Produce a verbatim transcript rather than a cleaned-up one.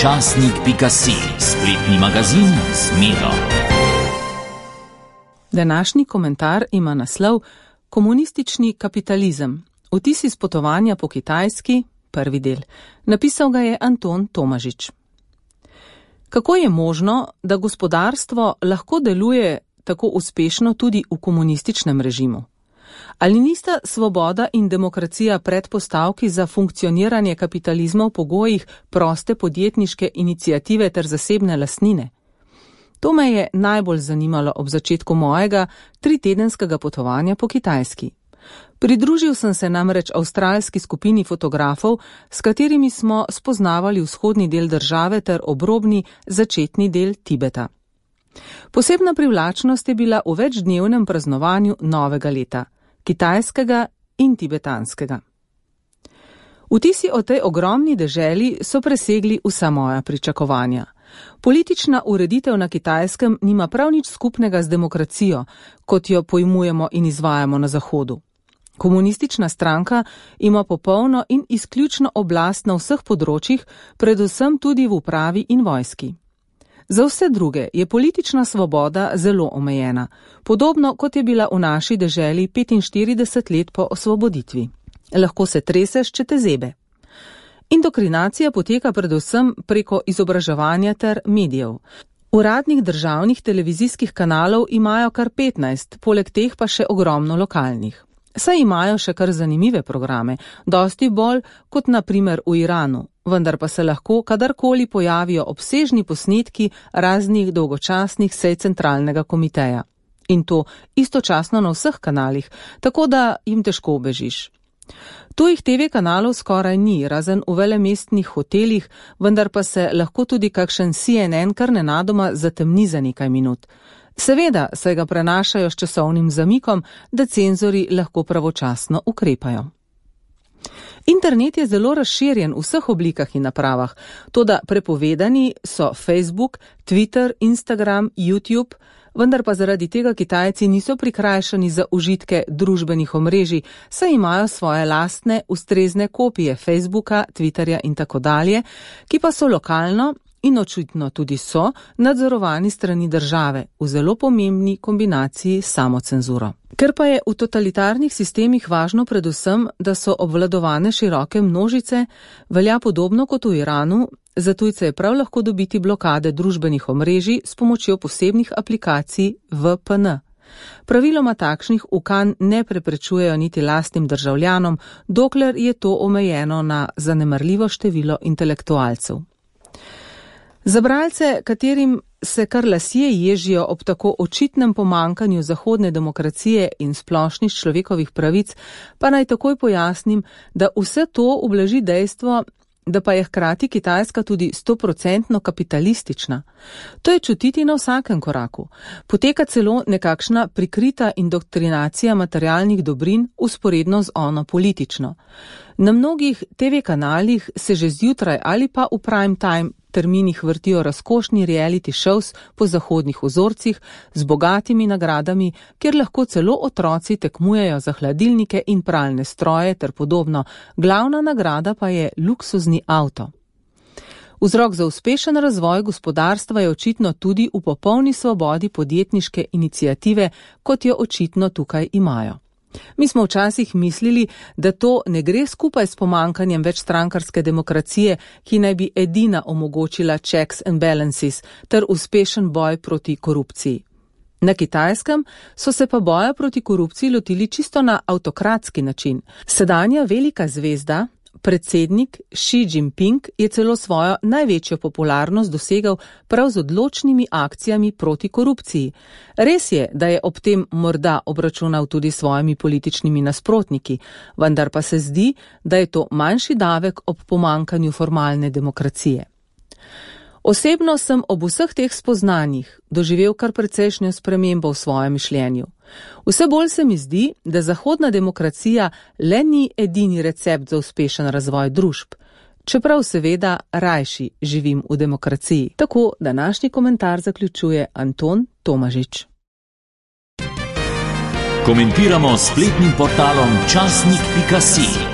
časnik pika si, spletni magazin z Miro. Današnji komentar ima naslov Komunistični kapitalizem. Vtisi s potovanja po Kitajski, prvi del. Napisal ga je Anton Tomažič. Kako je možno, da gospodarstvo lahko deluje tako uspešno tudi v komunističnem režimu? Ali nista svoboda in demokracija predpostavki za funkcioniranje kapitalizma v pogojih proste podjetniške iniciative ter zasebne lastnine? To me je najbolj zanimalo ob začetku mojega tritedenskega potovanja po Kitajski. Pridružil sem se namreč avstralski skupini fotografov, s katerimi smo spoznavali vzhodni del države ter obrobni začetni del Tibeta. Posebna privlačnost je bila v večdnevnem praznovanju novega leta, kitajskega in tibetanskega. Vtisi o tej ogromni deželi so presegli vsa moja pričakovanja. Politična ureditev na Kitajskem nima prav nič skupnega z demokracijo, kot jo pojmujemo in izvajamo na Zahodu. Komunistična stranka ima popolno in izključno oblast na vseh področjih, predvsem tudi v upravi in vojski. Za vse druge je politična svoboda zelo omejena, podobno kot je bila v naši deželi petinštirideset let po osvoboditvi. Lahko se treseš, če te zebe. Indoktrinacija poteka predvsem preko izobraževanja ter medijev. Uradnih državnih televizijskih kanalov imajo kar petnajst, poleg teh pa še ogromno lokalnih. Saj imajo še kar zanimive programe, dosti bolj kot na primer v Iranu, vendar pa se lahko kadarkoli pojavijo obsežni posnetki raznih dolgočasnih sej centralnega komiteja. In to istočasno na vseh kanalih, tako da jim težko ubežiš. Tujih te ve kanalov skoraj ni, razen v velemestnih hotelih, vendar pa se lahko tudi kakšen C N N kar nenadoma zatemni za nekaj minut. Seveda se ga prenašajo s časovnim zamikom, da cenzori lahko pravočasno ukrepajo. Internet je zelo razširjen v vseh oblikah in napravah, toda prepovedani so Facebook, Twitter, Instagram, YouTube, vendar pa zaradi tega Kitajci niso prikrajšani za užitke družbenih omrežij, saj imajo svoje lastne ustrezne kopije Facebooka, Twitterja in tako dalje, ki pa so lokalno in očitno tudi so nadzorovani strani države v zelo pomembni kombinaciji s samocenzuro. Ker pa je v totalitarnih sistemih važno predvsem, da so obvladovane široke množice, velja podobno kot v Iranu, za tujce je prav lahko dobiti blokade družbenih omrežij s pomočjo posebnih aplikacij V P N. Praviloma takšnih ukan ne preprečujejo niti lastnim državljanom, dokler je to omejeno na zanemarljivo število intelektualcev. Za bralce, katerim se kar lasje ježijo ob tako očitnem pomankanju zahodne demokracije in splošnih človekovih pravic, pa naj takoj pojasnim, da vse to ublaži dejstvo, da pa je hkrati Kitajska tudi stoprocentno kapitalistična. To je čutiti na vsakem koraku. Poteka celo nekakšna prikrita indoktrinacija materialnih dobrin usporedno z ono politično. Na mnogih te ve kanalih se že zjutraj ali pa v prime time terminih vrtijo razkošni reality shows po zahodnih vzorcih z bogatimi nagradami, kjer lahko celo otroci tekmujejo za hladilnike in pralne stroje ter podobno. Glavna nagrada pa je luksuzni avto. Vzrok za uspešen razvoj gospodarstva je očitno tudi v popolni svobodi podjetniške iniciative, kot jo očitno tukaj imajo. Mi smo včasih mislili, da to ne gre skupaj s pomankanjem večstrankarske demokracije, ki naj bi edina omogočila checks and balances ter uspešen boj proti korupciji. Na Kitajskem so se pa boja proti korupciji lotili čisto na avtokratski način. Sedanja velika zvezda, predsednik Xi Jinping, je celo svojo največjo popularnost dosegal prav z odločnimi akcijami proti korupciji. Res je, da je ob tem morda obračunal tudi s svojimi političnimi nasprotniki, vendar pa se zdi, da je to manjši davek ob pomankanju formalne demokracije. Osebno sem ob vseh teh spoznanjih doživel kar precejšnjo spremembo v svojem mišljenju. Vse bolj se mi zdi, da zahodna demokracija le ni edini recept za uspešen razvoj družb, čeprav seveda rajši živim v demokraciji. Tako današnji komentar zaključuje Anton Tomažič. Komentiramo s spletnim portalom časnik pika si.